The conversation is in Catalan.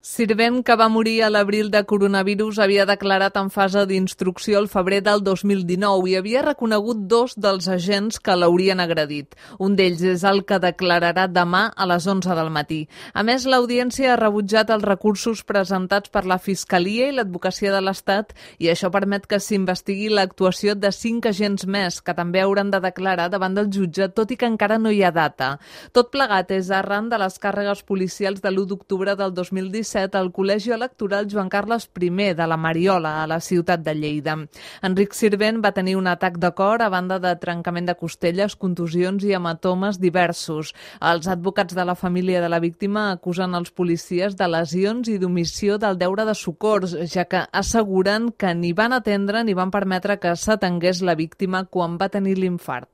Sirvent, que va morir a l'abril de coronavirus, havia declarat en fase d'instrucció el febrer del 2019 i havia reconegut 2 dels agents que l'haurien agredit. Un d'ells és el que declararà demà a les 11 del matí. A més, l'Audiència ha rebutjat els recursos presentats per la Fiscalia i l'Advocacia de l'Estat i això permet que s'investigui l'actuació de 5 agents més, que també hauran de declarar davant del jutge, tot i que encara no hi ha data. Tot plegat és arran de les càrregues policials de l'1 d'octubre del 2017 al Col·legi Electoral Joan Carles I de la Mariola, a la ciutat de Lleida. Enric Sirvent va tenir un atac de cor a banda de trencament de costelles, contusions i hematomes diversos. Els advocats de la família de la víctima acusen els policies de lesions i d'omissió del deure de socors, ja que asseguren que ni van atendre ni van permetre que s'atengués la víctima quan va tenir l'infart.